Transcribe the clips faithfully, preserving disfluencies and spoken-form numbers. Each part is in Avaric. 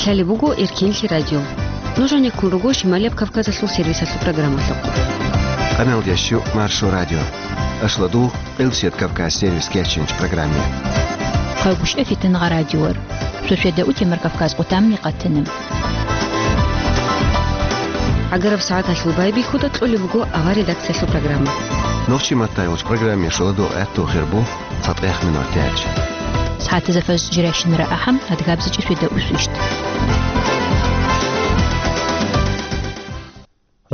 Лъалеб буго Эркенлъи радио. Нуж гьанеккун руго Шималияб Кавказалъул сервисалъул программалъухъ. Къаналдящу Маршо радио. Ашладул Къилсият Кавказ сервис кечинч программе. Хъайбушев Фитингъа радиор. Суседа утемар Кавказ къутамни къатинаб. Агараб сагӀаталъул байбихьуда кьолеб буго авар редакциялъул программа. Нохчи маттайулч программе шуладул гӀатту хирбух цатӀех минор тяч. СагӀатазафаз жиращинара ахӀам, адгабзичӀи светда усвищт.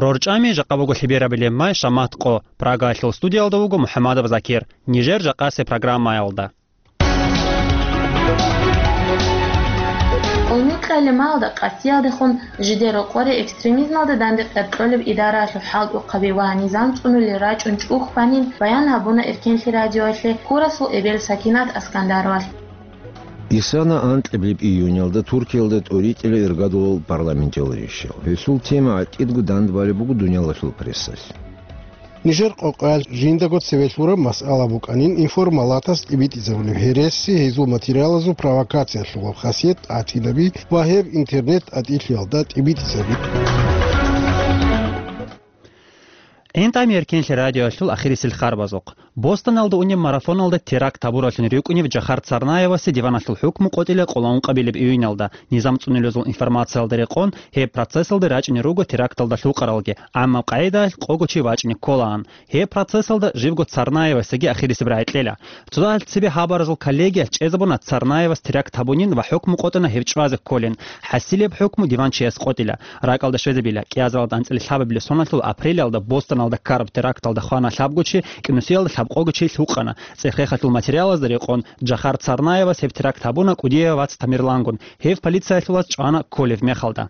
РорчӀами жакъа буго лъиберабилеб май шамат къо. Прагаялъул студиялда вуго МухӀамадов Закир. Нижер жакъасе программаялда. Къулмукьа лималда къасиялдехун жидер рокъоре экстремизмалда данде къеркьолеб идараялъул хӀалтӀухъаби ва низам цӀунулел рачӀун чӀух банин баян гьабуна Эркенлъи радиоялъе Курасул эбел Сакинат Аскандаровалъ. Исана анкьабилеб июнялда Туркиялда тӀоритӀила иргадулал парламенталищал. Гьесул тема гӀатӀидго дандбалеб буго дуниялалъул прессалъ. Нижер къокъаялъ жиндаго цеве лъураб масъала букӀанин информалатас тӀибитӀизабулеб гьереси, гьезул материалазул провокациялъулаб хасият тӀатинаби ва гьеб интернет тӀатӀилъиялда тӀибитӀизаби. ГӀинтӀами Эркенлъи радиоялъул ахирисел харбазухъ. Бостоналда унеб марафоналда теракт гьабураллъун рикӀкӀунев Жахар Царнаевасе диваналъул хӀукму къотӀила къоло ункъабилеб июнялда, низам цӀунулезул информациялда рекъон, гьеб процессалда рачӀине руго теракталда лъукъаралги, амма къагӀидаялъ къого чи вачӀине кколаан. Гьеб процессалда живго Царнаевасеги ахирисеб рагӀи кьела. Цо дагьалъ цебе хабаразул коллегиялъ чӀезабуна Царнаевас теракт гьабунин ва хӀукму къотӀана гьев чӀвазе кколин. ХӀасилеб хӀукму диванчияс къотӀила. РакӀалда щвезабила, кӀиазаралда анцӀила лъабабилеб соналъул апрелалда Бостоналда ккараб теракталда хвана лъабго чи, кӀинусиялда лъабкъого чи лъукъана. ЦӀех-рехалъул материалазда рекъон, Жахар Царнаевас гьеб теракт гьабуна кӀудияв вац Тамерлангун, гьев полициялъулаз чӀвана кколев мехалда.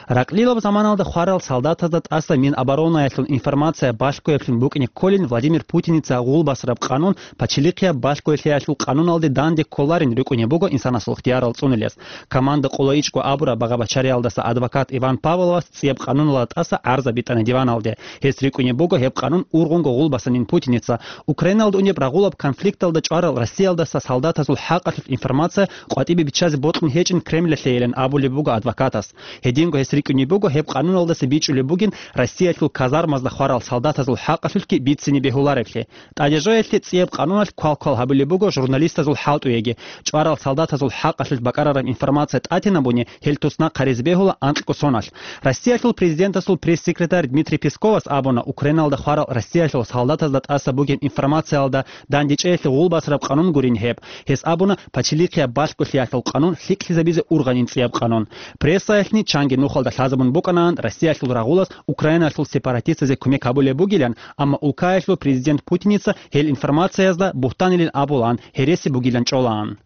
Ракълилаб заманалда хварал солдатазда тӀаса Миноборонаялъул информация балъгояблъун букӀине кколин Владимир Путиница гъул басараб къанун пачелихъияб балъгоялъиялъул къануналде данде кколарин рикӀкӀунеб буго инсанасул ихтиярал цӀунулес. Команда къоло ичӀго абураб багъа-бачариялдаса адвокат Иван Павловас цӀияб къануналда тӀаса гӀарза битӀана диваналде. Гьес рикӀкӀунеб буго гьеб къанун ургъунго гъул басанин Путиница. Украиналда унеб рагъулаб конфликталда чӀварал Россиялдаса солдатазул хӀакъалъулъ информация къватӀибе биччазе бокьун гьечӀин Кремлалъейилан абулеб буго адвокатас. Гьединго гьес рикӀкӀунеб буго гьеб къануналдаса бичӀчӀулеб бугин Россиялъул казармазда хварал солдатазул хӀакъалъулъги бицине бегьуларевлъи. ТӀадежоялъе цӀияб къануналъ квал-квал гьабулеб буго журналистазул хӀалтӀуеги. ЧӀварал солдатазул хӀакъалъулъ бакӀарараб информация тӀатинабуни гьел туснахъ гьаризе бегьула анкьго соналъ. Россиялъул президентасул пресс-секретарь Дмитрий Песковас абуна, Украиналда хварал Россиялъул солдатазда тӀаса бугеб информациялда дандечӀеялъе гъул басараб къанун гурин гьеб. Гьес абуна, пачелихъияб балъголъиялъул къанун лъикӀлъизабизе ургъанин цӀияб къанун. Прессаялъни чанги нухалда лъазабун букӀанаан Россиялъул рагъулас Украиналъул сепаратистазе кумек гьабулеб бугилан, амма улкаялъул президент Путиница гьел информациязда бугьтанилин абулаан, гьереси бугилан чӀолаан.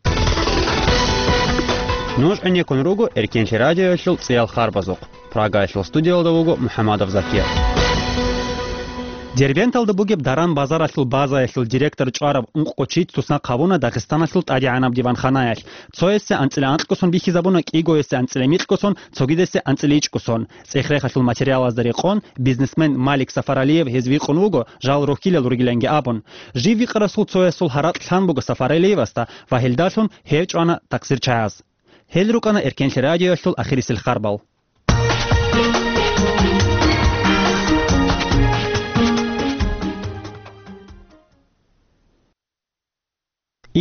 Нуж гӀенеккун руго Эркенлъи радиоялъул цӀиял харбазухъ. Прагаялъул студиялда вуго МухӀамадов Закир. Дербенталда бугеб даран-базаралъул базаялъул директор чӀвараб ункъго чи туснахъ гьабуна Дагъистаналъул тӀадегӀанаб диванханаялъ. Цоясе анцӀила анкьго сон бихьизабуна, кӀигоясе анцӀила микьго сон, цогидасе анцӀила ичӀго сон. ЦӀех-рехалъул материалазда рекъон, бизнесмен Малик Сафаралиев гьез викъун вуго, жал рохьилал ругиланги абун. Жив викъарасул цоясул гьаракь лъан буго Сафаралиевасда ва гьелдалъун гьев чӀвана такъсирчагьаз. Гьел рукӀана Эркенлъи радиоялъул ахирисел харбал.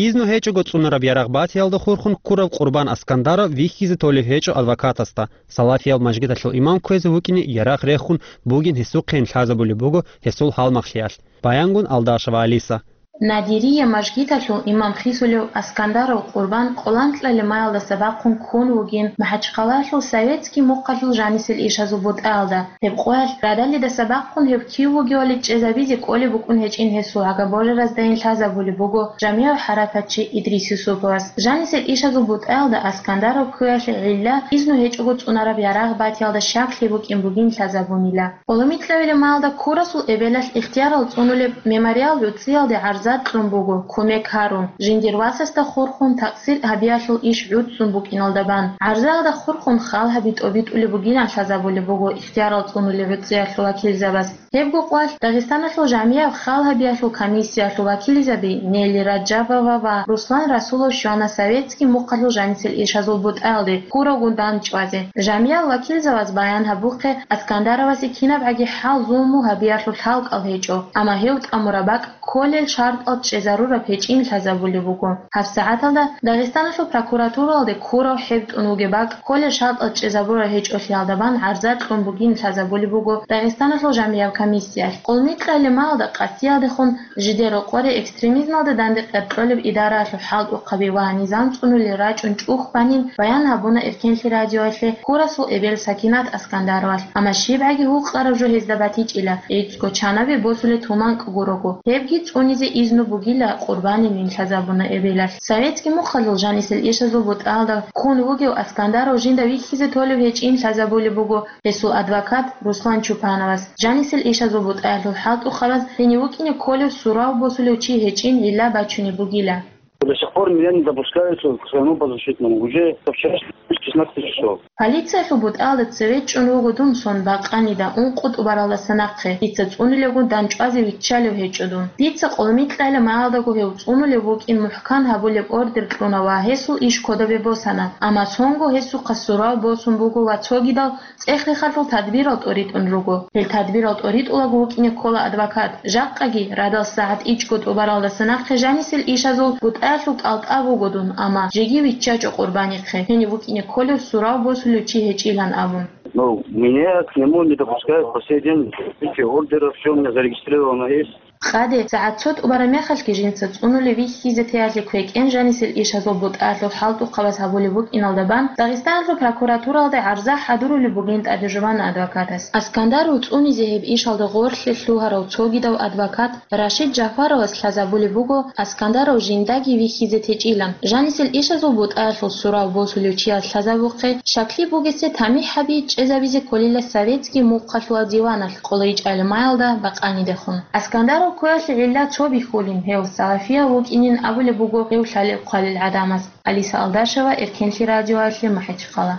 Изну гьечӀого цӀунараб ярагъ батиялда хурхун ккурав Къурбан Аскандаров вихьизе толеб гьечӀо адвокатасда, салафияб мажгиталъул имам кквезе вукӀине ярагъ рехун бугин гьесухъейин лъазабулеб буго гьесул гьалмагълъиялъ, баянгун Алдашева Алиса. Надирия мажгиталъул имам хисулев Аскандаров Къурбан къоланкьа лимаялдаса бахъун ккун вугин МахӀачхъалаялъул Советский мухъалъул жанисел ишазул бутӀаялда. Гьеб къоялъ радалидаса бахъун гьев кив вугевали чӀезабизе кӀолеб букӀун гьечӀин гьесул гӀага божараздайин лъазабулеб буго жамигӀ хӀаракатчи Идрис Юсуповас. Жанисел ишазул бутӀаялда Аскандаров кквеялъе гӀилла изну гьечӀого цӀунараб ярагъ батиялда щаклъи букӀин бугин лъазабунила. Къоломикьавилеб маялда Курасул эбелалъ ихтиярал цӀунулеб мемориал гӀуцӀиялде гӀарз гӀарза кьун буго, кумек гьарун, жиндир васасда хурхун такъсир гьабиялъул иш гӀуцӀцӀун букӀиналда бан. ГӀарзаялда хурхун хал гьаби тӀобитӀулеб бугилан лъазабулеб буго ихтиярал цӀунулел гӀуцӀиялъул вакилзабаз. Гьебго къвалъ Дагъистаналъул жамияб хал гьабиялъул комиссиялъул вакилзаби Нелли Раджабова ва Руслан Расулов щвана советский мухъалъул жанисел ишазул бутӀаялде ккурав гундан чӀвазе. Жамиял вакилзабаз баян гьабухъе, Аскандаровасе кинабгӀаги хӀал-зулму гьабиялъул лъалкӀал гьечӀо, амма гьев тӀамураб бакӀ кколел шартӀал чӀезарураб гьечӀин лъазабулеб буго. ГьабсагӀаталда Дагъистаналъул прокуратуралде ккурав хӀеб тӀун вугеб бакӀ кколел шартӀал чӀезабураб гьечӀолъиялда бан гӀарза кьун бугин лъазабулеб буго Дагъистаналъул жамияб комиссиялъ. Къулмикьалималда къасиялдехун жидер рокъоре экстремизмалда данде къеркьолеб идараялъул хӀалтӀухъаби ва низам цӀунулел рачӀун чӀухь банин баян гьабуна Эркенлъи радиоялъе ккурасул эбел Сакинат Аскандаровалъ, амма щибгӀаги гьукъараб жо гьезда батичӀила, гӀицӀго чанабе босулеб туманкӀ гурого, гьебги цӀунизе изну бугила, къурбанинин лъазабуна эбелалъ. Советский мухъалъул жанисел ишазул бутӀаялда ккун вугев Аскандаров жинда вихьизе толеб гьечӀин лъазабулеб буго гьесул адвокат Руслан Чупановас. Жанисел ишазул бутӀаялъул хӀалтӀухъабаз гьенив вукӀине кколев сурав босулев чи гьечӀин гӀилла бачунеб бугила. До сих пор меня не допускают к своему подзащитному. Уже со вчерашнего шестнадцать часов. Полициялъул бутӀаялда цеве чӀун вуго дун сон бакъанида ункъо тӀубаралдаса нахъе, дица цӀунилевгун дандчӀвазе виччалев гьечӀо дун. Дица къулмикьайла маялдаго гьев цӀунулев вукӀин мухӀкан гьабулеб ордер кьуна ва гьесул иш кодобе босана, амма сонго гьесухъа сурав босун буго ва цогидал цӀех-рехалъул тадбирал тӀоритӀун руго. Гьел тадбирал тӀоритӀулаго вукӀине ккола адвокат. Жакъаги, радал сагӀат ичӀго тӀубаралдаса нахъе жанисел ишазул бутӀаялъул кӀалтӀа буго дун, амма жеги виччачӀо къурбанихъе, гьенив вукӀине кколев сурав босулев чи гьечӀилан абун. Ну, меня к нему не допускают по сей день. Видите, ордеров, всё у меня зарегистрировано есть. Къаде, сагӀат цо тӀубараб мехалъги жинца цӀунулев вихьизе теялъе квекӀен жанисел ишазул бутӀаялъул хӀалтӀухъабаз гьабулеб букӀиналда бан, Дагъистаналъул прокуратуралде гӀарза хӀадурулеб бугин тӀаде жубана адвокатас. Аскандаров цӀунизе гьеб ишалда гъорлъе лъугьарав цогидав адвокат Рашид Жафаровас лъазабулеб буго, Аскандаров жиндаги вихьизе течӀилан. Жанисел ишазул бутӀаялъул сурав босулев чияс лъазабухъе, щаклъи бугесе тамихӀ гьаби чӀезабизе кколила советский мухъалъула диваналъ къолайчӀалимаялда бакъанидехун. Аскандаров ккоялъе гӀилла цо бихьулин, гьев салафияв вукӀинин абулеб буго гьев лъалеб-хъвалел гӀадамаз. Алиса Алдашева, Эркенлъи радиоялъе, МахӀичхъала.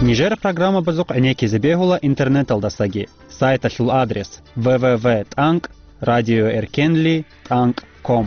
Нижер программабазухъ гӀенеккизе бегьула интернеталдасаги. Сайталъул адрес: в в в тӀанкӀ радиоэркенли тӀанкӀ ком.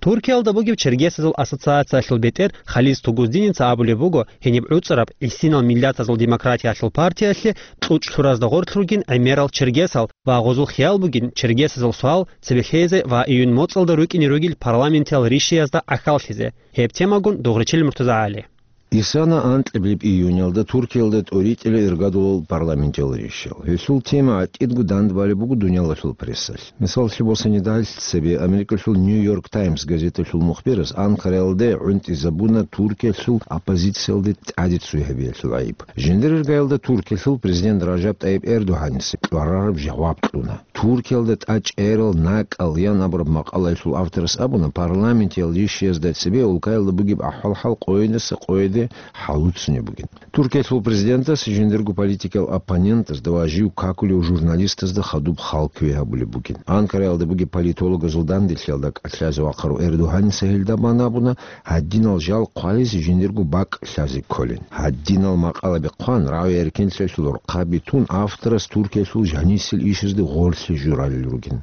Туркиялда бугеб чергесазул ассоциациялъул бетӀер Халис Тугуздиница абулеб буго, гьениб гӀуцӀараб гӀисинал миллатазул демократиялъул партиялъе кьучӀ лъуразда гъорлъ ругин гӀемерал чергесал ва гъозул хиял бугин чергесазул суал цебе лъезе ва июнь моцӀалда рукӀине ругел парламентиял ришиязда гӀахьаллъизе. Гьеб темагун Дугъричил МуртазагӀали. Исана анкьабилеб июньалда Туркиялда тӀоритӀила иргадулал парламентиял ришиял. Гьелъул тема гӀатӀидго дандбалеб буго дуниялалъул прессалъ. Мисаллъи босанидал, цебе Америкалъул Нью-Йорк Таймс газеталъул мухбирас Анкараялде гӀунтӀизабуна Туркиялъул оппозициялде тӀаде цой гьабиялъул гӀайиб. Жиндир иргаялда Туркиялъул президент Ражаб ТӀайиб Эрдогьаница кьварараб жаваб кьуна. Туркиялда тӀачӀерал накӀкӀал ян абураб макъалаялъул авторас абуна, парламентиял ришиязда цебе улкаялда бугеб ахӀвал-хӀал къойидаса къойиде хӀалуцунеб бугин. Туркиялъул президентас жиндирго политикиял оппонентазда ва жив какулев журналистазда хадуб хал кквей гьабулеб бугин. Анкараялда бугеб политологазул данделъиялда кӀалъазе вахъарав Эрдогьаница гьелда бан абуна, гьадинал жал хъвализе жиндирго бакӀ лъазе кколин. Гьадинал макъалаби хъван, рагӀи-эркенлъиялъул рохъаби тун, авторас Туркиялъул жанисел ишазде гъорлъе журалел ругин.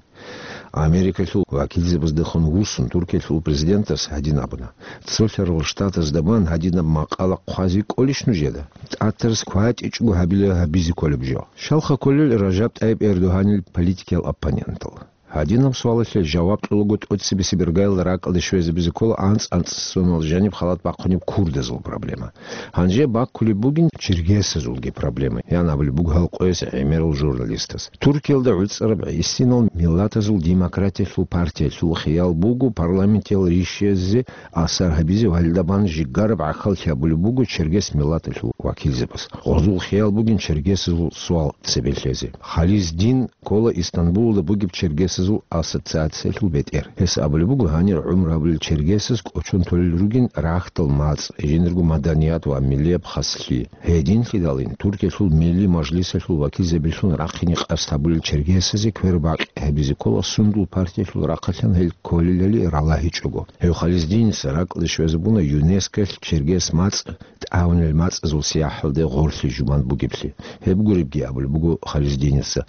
Америкалъул вакилзабаздехун вуссун Туркиялъул президентас гьадин абуна: «Цо лъарал штатазда бан гьадинаб макъала хъвазе кӀолищ нужеда? ТӀатарас кватӀичӀого гьабила гьабизе кколеб жо». Щалха кколел Ражаб ТӀайиб Эрдогьанил политикиял оппонентал? Гьадинаб суалалъе жаваб кьолаго тӀоцебесеб иргаялда ракӀалде щвезабизе ккола анцӀ-анцӀ сонал жаниб халат бахъунеб курдазул проблема. Гьанже баккулеб бугин чергесазулги проблема, ян абулеб буго гьал къояс гӀемерал журналистас. Туркиялда гӀуцӀараб гӀисинал миллатазул демократиялъул партиялъул хиял буго парламентиял ришиязде асар гьабизе ва гьелда бан жигараб гӀахьаллъи гьабулеб буго чергес миллаталъул вакилзабаз. Гъозул хиял бугин чергесазул суал цебе лъезе. Халис Дин ккола Истанбулалда бугеб чергесаз ассоциациялъул бетӀер. Гьес абулеб буго, гьанир гӀумру гьабулел чергесаз кӀочон толел ругин рагьтал мацӀ, жиндирго маданият ва миллияб хаслъи. Гьединлъидалин Туркиялъул Милли мажлисалъул вакилзабилъун рахъине къасд гьабулел чергесазе квербакъи гьабизе ккола сундул партиялъул рахъалъан гьел кколелали ралагьичӀого. Гьев Хализдиница ракӀалде щвезабуна ЮНЕСКОялъ чергес мацӀ тӀагӀунел мацӀазул сияхӀалде гъорлъи жубан бугеблъи. Гьеб гуребги абулеб буго Хализдиница,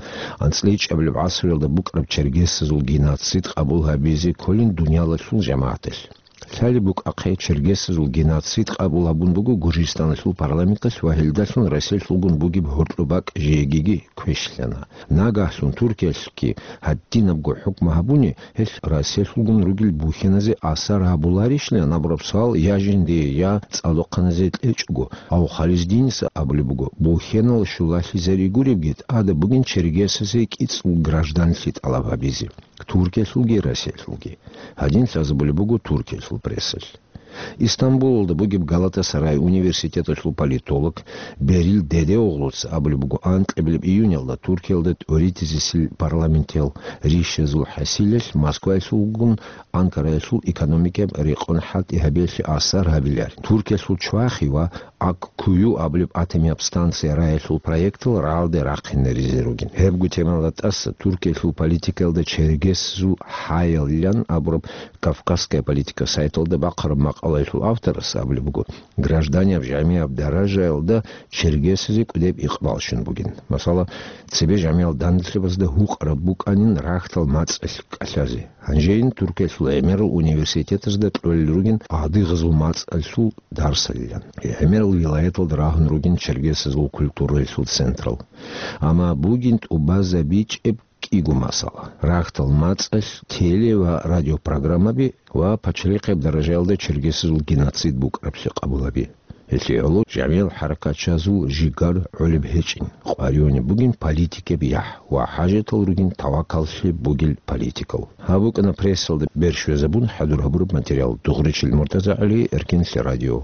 анцӀила ичӀабилеб гӀасруялда букӀараб чергесазул геноцид къабул гьабизе кколин дуниялалъул жамагӀаталъ. Лъалеб букӀахъе, чергесазул геноцид къабул гьабун буго Гуржистаналъул парламенталъ ва гьелдалъун Россиялъулгун бугеб гьоркьоб бакӀ жеги квешлъана. Нагагьлъун Туркиялъги гьадинабго хӀукму гьабуни, гьелъ Россиялъулгун ругел бухьеназе асар гьабуларищилан абураб суал я жиндие, я цӀалдохъаназе кьечӀого, гьав Хализдиница абулеб буго, бухьенал щулалъизари гуребги, тӀада бугин чергесазе кӀицӀул гражданлъи тӀалаб гьабизе. Туркиялъулги Россиялъулги. Гьадин лъазабулеб буго Туркиялъул прессалъ. Истамбулалда бугеб Галатасарай университеталъул политолог Берил Дедеоглуца абулеб буго, анкьабилеб июнялда Туркиялда тӀоритӀизесил парламентиял ришазул хӀасилалъ Москваялъулгун Анкараялъул экономикаяб рекъон хӀалтӀи гьабиялъе асар гьабиларин. Туркиялъул чвахи ва Аккую абулеб атомияб станция раялъул проектал рагӀалде рахъинаризе ругин. Гьебго темалда тӀаса Туркиялъул политикаялда чергесазул хӀаялилан абураб «Кавказская политика» сайталда бахъараб макъалаялъул авторас абулеб буго, гражданияб-жамияб даражаялда чергесазе кӀудеб икъбал щун бугин. Масала, цебе жамиял данделъабазда гьукъараб букӀанин рагьтал мацӀалъ кӀалъазе. Гьанжейин Туркиялъул гӀемерал университетазда кьолел ругин адыгъазул мацӀалъул дарсалилан. ГӀемерал вилаяталда рагьун ругин чергесазул культураялъул централ. Амма бугин тӀубазабичӀеб кӀиго масала. Рагьтал мацӀалъ теле- ва радиопрограммаби ва пачалихъияб даражаялда чергесазул геноцид букӀараблъи къабулаби. Гьелъие гӀоло жамиял хӀаракатчазул жигар гӀолеб гьечӀин, къваригӀунеб бугин политикияб яхӀ ва хӀажатал ругин тавакаллъи бугел политикал. Гьаб букӀана прессалда берщвезабун хӀадур гьабураб материал. Дугъричил МуртазагӀали, Эркинлъи радио.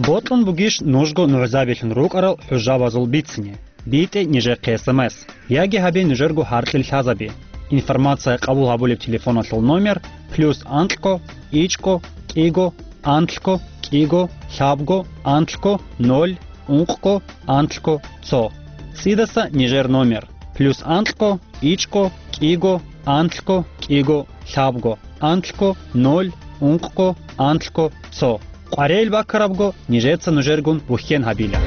Бокьун бугищ нужго нугӀзабилъун рукӀарал хӀужабазул бицине? БитӀе нижехъе эс эм эс, яги гьабе нужерго гьаркьил лъазаби. Информация къабул гьабулеб телефоналъул номер: плюс анкьго, ичӀго, кӀиго, анлъго, кӀиго, лъабго, анлъго, ноль, ункъго, анлъго, цо. ЦӀидаса нижер номер: плюс анкьго, ичӀго, кӀиго, анлъго, кӀиго, лъабго, анлъго, ноль, ункъго, анлъго, цо. КъваригӀел баккарабго, нижеца нужергун бухьен гьабила.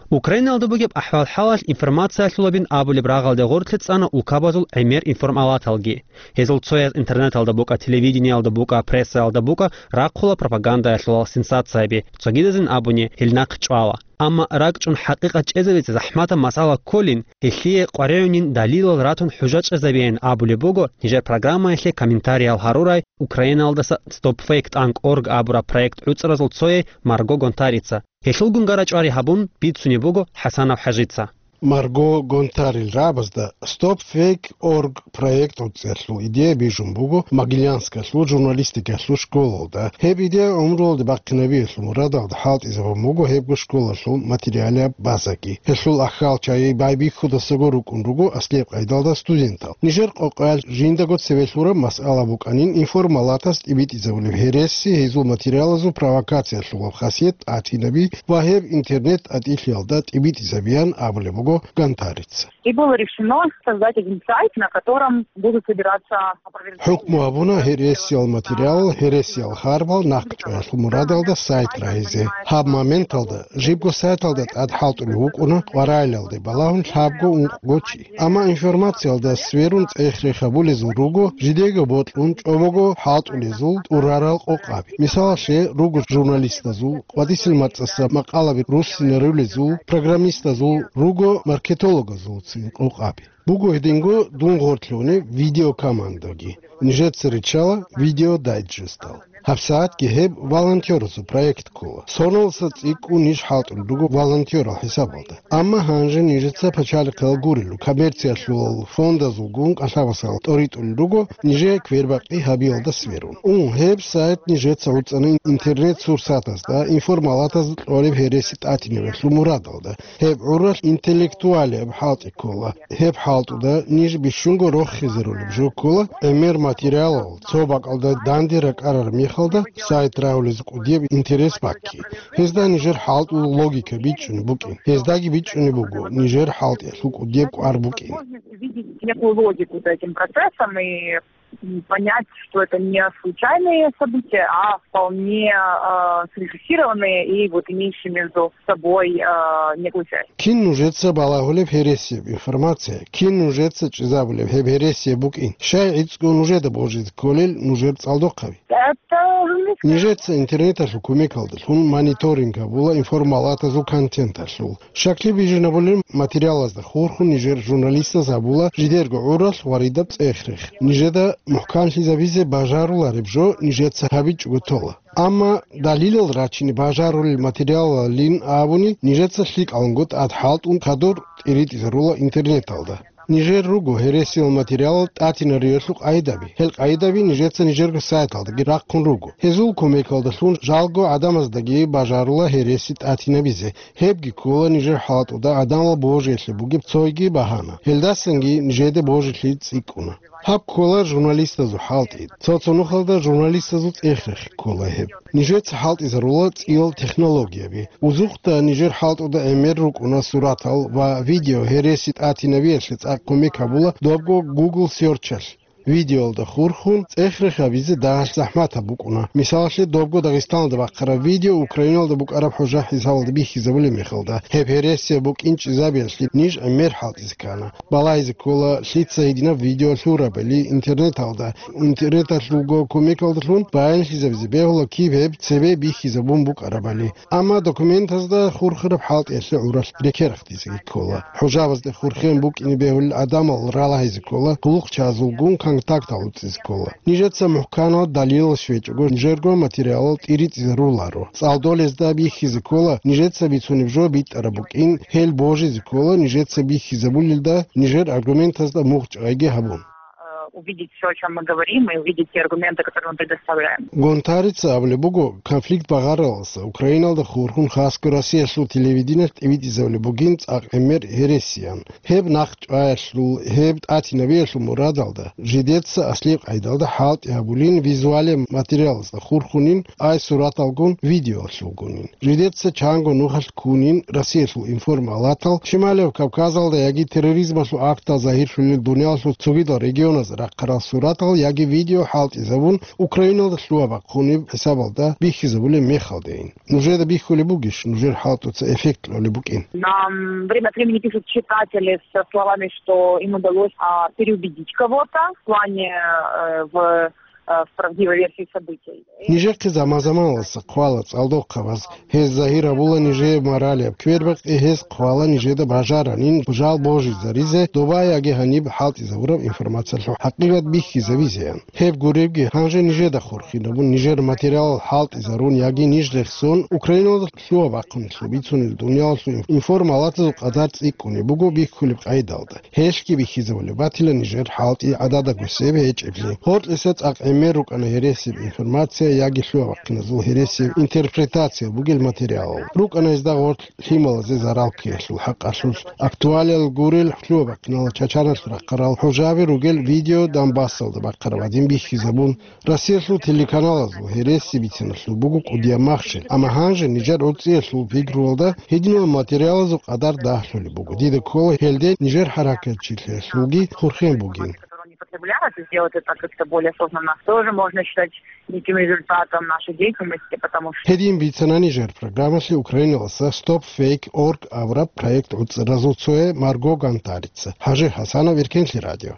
Украиналда бугеб ахӀвал-хӀалалъ информациялъулабин абулеб рагъалде гъорлъе цӀана улкабазул гӀемер информалаталги. Гьезул цояз интернеталда букӀа, телевидениялда букӀа, прессаялда букӀа, рахъула пропагандаялъулал сенсацияби, цогидазин абуни, гьел нахъ чӀвала. Амма ракӀчӀун хӀакъикъат чӀезабизе захӀматаб масъала кколин, гьелъие къваригӀунин далилал ратун хӀужа чӀезабеян абулеб буго нижер программаялъе комментариял гьарурай Украиналдаса Stop Fake Tank Org абураб проект гӀуцӀразул цояй Марго Гонтарица. Гьелъулгун гара-чӀвари гьабун бицунеб буго ХӀасанов ХӀажица. Марго Гонтарил рагӀабазда Stop Fake Org проект гӀуцӀиялъул идея бижун буго Могилянскалъул журналистикалъул школалда. Гьеб идея гӀумруялде бахъинабиялъул мурадалда хӀалтӀизабун буго гьебго школалъул материалияб базаги. Гьелъул ахӀалчагӀи байбихьудасаго рукӀун руго аслияб къайдалда студентал. Нижер къокъаялъ жиндаго цеве лъураб масъала букӀанин информалатас тӀибитӀизабулеб гьереси, гьезул материалазул провокациялъулаб хасият тӀатинаби ва гьеб интернет-тӀатӀилъиялда тӀибитӀизабиян абулеб буго Гонтарица. И было решено создать один сайт, на котором будут собираться опровержения. ХӀукму гьабуна гьересиял материал, гьересиял харбал нахъчӀваялъул мурадалда сайт рагьизе. Гьаб моменталда жибго сайталда тӀад хӀалтӀулев вукӀуна къваригӀелалде балагьун лъабго-ункъго чи. Амма информациялда сверун цӀех-рех гьабулезул руго, жидеего бокьун чӀобого хӀалтӀулезул тӀурарал къокъаби. Мисалалъе, руго журналистазул, къватӀисел мацӀаса макъалаби руссинарулезул, программистазул, руго маркетологазулцин къокъаби. Буго гьединго дун гъорлъ гьунеб видеокомандаги. Нижеца риччала видеодайджестал. ГьабсагӀатги гьеб волонтёрасул проект ккола. Соналдаса цӀикӀкӀун ниж хӀалтӀулел руго волонтёрал хӀисабалда. Амма гьанже нижеца пачалихъал гурелъул, коммерциялъул фондазулгун кӀалъабасал тӀоритӀулел руго нижее квербакъи гьабиялда сверун. Ун, гьеб сайт нижеца гӀуцӀана интернет-сурсатазда, информалатазда кьолеб гьереси тӀатинабиялъул мурадалда. Гьеб гӀуралъ интеллектуалияб хӀалтӀи ккола. Гьеб хӀалтӀуда ниж бищунго рохизарулеб жо ккола, гӀемер материалал цо бакӀалда данде ракӀарараб мехалда сайт рагьулез кӀудияб интерес бакки. Гьезда нижер хӀалтӀул логика бичӀчӀунеб букӀин. Гьездаги бичӀчӀунеб буго нижер хӀалтӀиялъул кӀудияб кӀвар букӀин. Возможность увидеть некую логику за этим процессом и, м, понять, что это не случайные события, а вполне, а, срежиссированные и вот имеющие между собой, а, некую связь. Кин нужеца балагьулеб гьересияб информация, кин нужеца чӀезабулеб гьеб гьересияб букӀин, щай гӀицӀго нужеда божизе кколел нужер цӀалдохъаби? Это журналистская... Нижеца интернеталъул кумекалдалъун мониторинг гьабула информалатазул контенталъул. Щаклъи бижинабулел материалазда хурхун нижер журналистаз гьабула жидерго гӀуралъ ва ридаб цӀех-рех. Нижеда мухӀканлъизабизе бажарулареб жо нижеца гьабичӀого тола. Амма далилал рачине бажарулел материалалин абуни, нижеца лъикӀаланго тӀад хӀалтӀун хадур тӀиритӀизарула интернеталда. Нижер руго гьересиял материалал тӀатинариялъул къайдаби. Гьел къайдаби нижеца нижерго сайталдаги рахъун руго. Гьезул кумекалдалъун жалго гӀадамаздаги бажарула гьереси тӀатинабизе. Гьебги ккола нижер хӀалтӀуда гӀадамал божилъи бугеб цойги багьана. Гьелдасанги нижеде божилъи цӀикӀкӀуна. Гьаб ккола журналистазул хӀалтӀи. Цо-цо нухалда журналистазул цӀех-рехи ккола гьеб. Нижеца хӀалтӀизарула цӀиял технологияби. Узухъда нижер хӀалтӀуда гӀемер рукӀуна суратал ва видео гьереси тӀатинабиялъе цӀакъ кумек гьабула добго Google Search-алъ. Видеоялда хурхун цӀех-рех гьабизе дагьалъ захӀматаб букӀуна. Мисалалъе, добго Дагъистаналда бахъараб видео Украиналда букӀараб хӀужа хӀисабалда бихьизабулеб мехалда, гьеб гьересияб букӀин чӀезабиялъе ниж гӀемер хӀалтӀизе ккана. Балагьизе ккола, лъица гьединаб видео лъурабали интернеталда, интернеталъулго кумекалдалъун баянлъизабизе бегьула киб гьеб цебе бихьизабун букӀарабали. Амма документазда хурхараб хӀалтӀиялъе гӀуралъ рекерахъдизеги ккола. ХӀужабазде хурхен букӀине бегьулел гӀадамал ралагьизе ккола, гъулухъчазулгун контактал уцӀизе ккола. Нижеца мухӀканал далилал щвечӀого, нижерго материалал тӀиритӀизаруларо. ЦӀалдолезда бихьизе ккола, нижеца бицунеб жо битӀараб букӀин, гьел божизе ккола, нижеца бихьизабулелда, нижер аргументазда мугъ чӀвайги гьабун. Э, увидеть всё, о чём мы говорим, и увидеть те аргументы, которые мы предоставляем. Гонтарица абулеб буго, конфликт багъаралдаса Украиналда хурхун хасго Россиялъул телевидениялъ тӀибитӀизабулеб бугин цӀакъ гӀемер гьересиян. Гьеб нахъ чӀваялъул, гьеб тӀатинабиялъул мурадалда, жидеца аслияб къайдалда хӀалтӀи гьабулин визуалияб материалазда хурхунин, ай сураталгун, видеолъулгунин. Жидеца чанго нухалъ ккунин Россиялъул информалатал, Шималияб Кавказалда яги терроризмалъул актал загьирлъулел дуниялалъул цогидал регионазда рахъарал суратал яги видео хӀалтӀизабун, Украиналда лъугьа-бахъунеб хӀисабалда бихьизабулеб мехалдайин. Нужеда бихьулеб бугищ, нужер хӀалтӀуца эффект кьолеб букӀин? Нам время от времени пишут читатели со словами, что им удалось, а, переубедить кого-то в плане, э, в, э, в правдивой версии событий. Нижехъе заман-заманалдаса хъвала цӀалдохъабаз. Гьез загьир гьабула нижее моралияб квербакъи, гьез хъвала нижеда бажаранин жал божизаризе доба яги гьаниб хӀалтӀизабураб информациялъул хӀакъикъат бихьизабизеян. Гьеб гуребги, гьанже нижеда хурхинабун, нижер материалал хӀалтӀизарун яги ниж рехсон, Украиналда лъугьа-бахъунелъул бицунел дуниялалъул информалатазул къадар цӀикӀкӀунеб буго бихьулеб къайдалда. Гьелъги бихьизабулеб батила нижер хӀалтӀи гӀадада гусеб гьечӀеблъи. Гьоркьиса цӀакъ гӀемер рукӀана гьересияб информация яги лъугьа-бахъиназул гьересияб интерпретация бугел материалал. РукӀана гьезда гъорлъ лъималазе зарал ккеялъул хӀакъалъулъ. Актуалиял гурел лъугьа-бахъинал чачаналъ рахъарал хӀужаби ругел видео Донбассалда бахъараб гӀадин бихьизабун, Россиялъул телеканалазул гьереси бициналъул буго кӀудияб махщел, амма гьанже нижер гӀурцӀиялъул пикруялда гьединал материалазул къадар дагьлъулеб буго. Дида ккола гьелде нижер хӀаракатчилъиялъулги хурхен бугин. Которые не потребляют, и сделать это как-то более осознанно, тоже можно считать неким результатом нашей деятельности, потому что... Гьедин бицана нижер программалъе Украиналаса Stop Fake Org абураб проект гӀуцӀаразул цое Марго Гонтарица. ХӀажи ХӀасанов, Иркенлъи радио.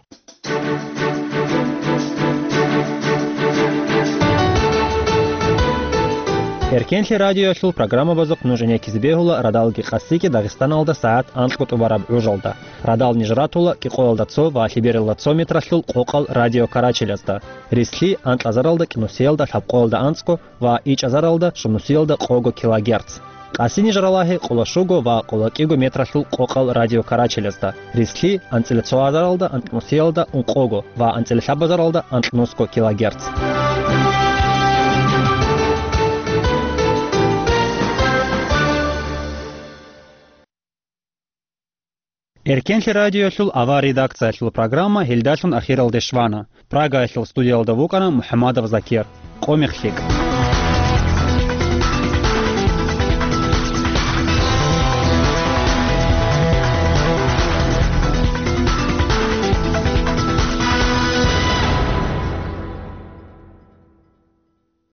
Эркенлъи радиоялъул программабазухъ нуж гӀенеккизе бегьула радалги къасиги Дагъистаналда сагӀат анкьго тӀубараб гӀужалда. Радал ниж ратула кӀикъоялда цо ва лъебералда цо метралъул къокъал радиокарачелазда, рислъи анкьазаралда кӀинусиялда лъабкъоялда анцӀго ва ичӀазаралда щунусиялда къого килогерц. Къаси ниж ралагье къоло щуго ва къоло кӀиго метралъул къокъал радиокарачелазда, рислъи анцӀила цо азаралда анкьнусиялда ункъого ва анцӀила лъабазаралда анкьнусго килогерц. Эркенлъи радиоялъул авар редакциялъул программа гьелдалъун ахиралде щвана. Прагаялъул студиялда вукӀана МухӀамадов Закир. Къо мех лъикӀ.